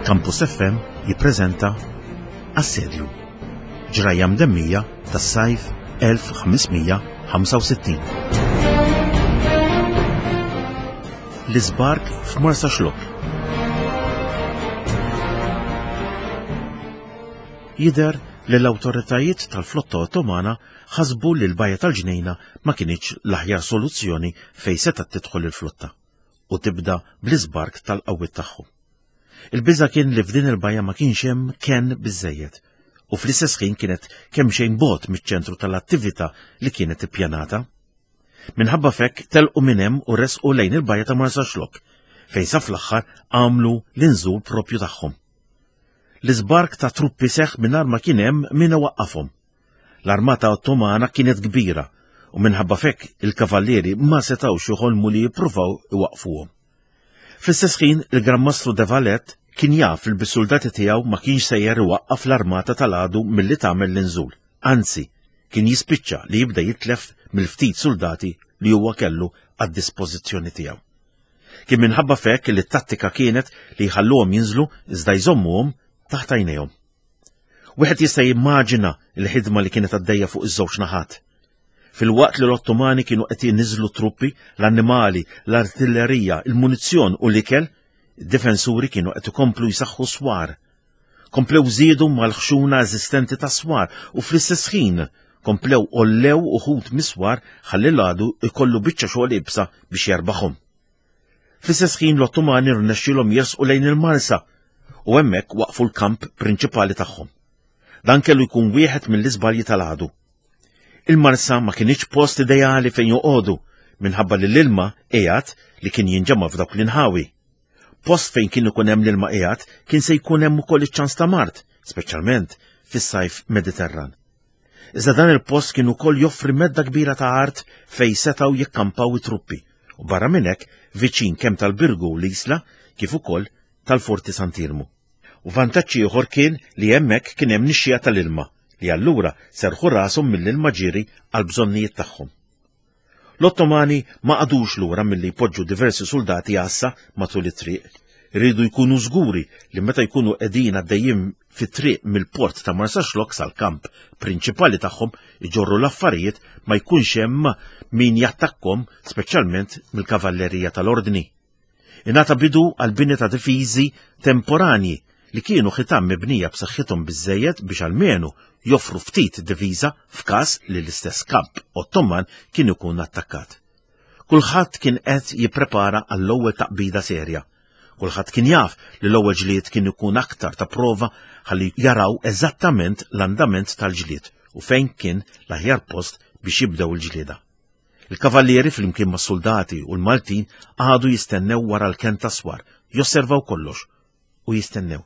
Campus FM jippreżenta Assedju. Ġrajja mdemmija tas-sajf 1565. L-iżbark f'Marsaxlokk. Jidher li l-awtoritajiet tal-flotta Ottomana ħasbu li l-Bajja tal-Ġnejna ma kinitx l-aħjar soluzzjoni fejn setgħet tidħol il-flotta u tibda bl-iżbark tal-qawwiet tagħhom. Il-biża' kien li f'din il-bajja ma kienx hemm kenn biżżejjed u fl-istess ħin kienet kemxejn bogħod miċ-ċentru tal-attività li kienet ippjanata. Minħabba f'hekk telqu minn hemm u resqu lejn il-bajja ta' Marsaxlokk fejn sa fl-aħħar għamlu l-inżul propju tagħhom. L-iżbark ta' truppi seħħ mingħajr ma kien hemm min iwaqqafhom. L-armata Ottomana kienet kbira u minħabba f'hekk il-kavallieri ma setgħux joħolmu li jippruvaw iwaqqfuhom. Fl-istess ħin, il-Gran Mastru de Valette kien jaf li bis-suldati tiegħu ma kienx sejjer iwaqqaf l-armata tal-għadu milli tagħmel l-inżul, anzi, kien jispiċċa li jibda jitlef mill-ftit suldati li huwa kellu għad-dispożizzjoni tiegħu. Kien minħabba f'hekk li t-tattika kienet li jħalluhom jinżlu iżda jżommuhom taħt għajnejhom. Wieħed jista' jimmaġina l-ħidma li kienet għaddejja fuq iż-żewġ naħat. Filwaqt li l-Ottomani kienu qed jniżżlu truppi, l-annimali, l-artillerija, il-munizzjon u l-ikel, id-difensuri kienu qed ikomplu jsaħħu swar. Komplew żiedu mal-ħxuna eżistenti tas-swar u fl-istess ħin komplew għollew uħud mis-swar ħalli l-għadu jkollu biċċa xogħol iebsa biex jerbaħhom. Fl-istess ħin l-Ottomani rnexxielhom jersqu lejn il-Marsa u hemmhekk waqfu l-kamp prinċipali tagħhom. Dan kellu jkun wieħed mill-iżbalji tal-għadu. Il-Marsa ma kinitx post ideali fejn joqogħdu minħabba li l-ilma qiegħed li kien jinġema' f'dawk l-inħawi. Post fejn kien ikun hemm l-ilma qiegħed kien se jkun hemm ukoll iċ-ċans ta' mard, speċjalment fis-sajf Mediterran. Iżda dan il-post kien ukoll joffri medda kbira ta' art fejn setgħu jikkampaw it-truppi u barra minn hekk viċin kemm tal-Birgu u l-Isla kif ukoll tal-Forti Sant'Iermu. U vantaġġ ieħor kien li hemmhekk kien hemm nixxiegħa tal-ilma li allura serrħu rashom mill-ilma ġieri għall-bżonnijiet tagħhom. L-Ottomani ma qagħdux lura milli jpoġġu diversi suldati għassa matul it-triq. Riedu jkunu żguri li meta jkunu qegħdin għaddejjin fit-triq mill-port ta' Marsaxlokk sal-kamp prinċipali tagħhom iġorru l-affarijiet ma jkunx hemm min jattakkhom speċjalment mill-kavallerija tal-Ordni. Ingħata bidu għall-bini ta' difiżi temporanji li kienu ħitan mibnija b'saħħithom biżżejjed biex almenu joffru ftit difiża f'każ li l-istess kamp Ottoman kien ikun attakkat. Kulħadd kien qed jipprepara għall-ewwel taqbida serja. Kulħadd kien jaf li l-ewwel ġlied kien ikun aktar ta' prova ħalli jaraw eżattament l-andament tal-ġlied u fejn kien l-aħjar post biex jibdew il-ġlieda. Il-kavallieri flimkien mas-suldati u l-Maltin qagħdu jistennew wara l-kenn tas-swar, josservaw kollox u jistennew.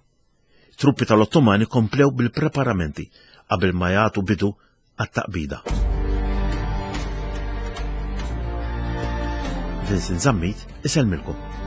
Truppi tal-Ottomani komplew bil-preparamenti qabel ma jagħtu bidu għat-taqbida. Vincent Zammit isellmilkom.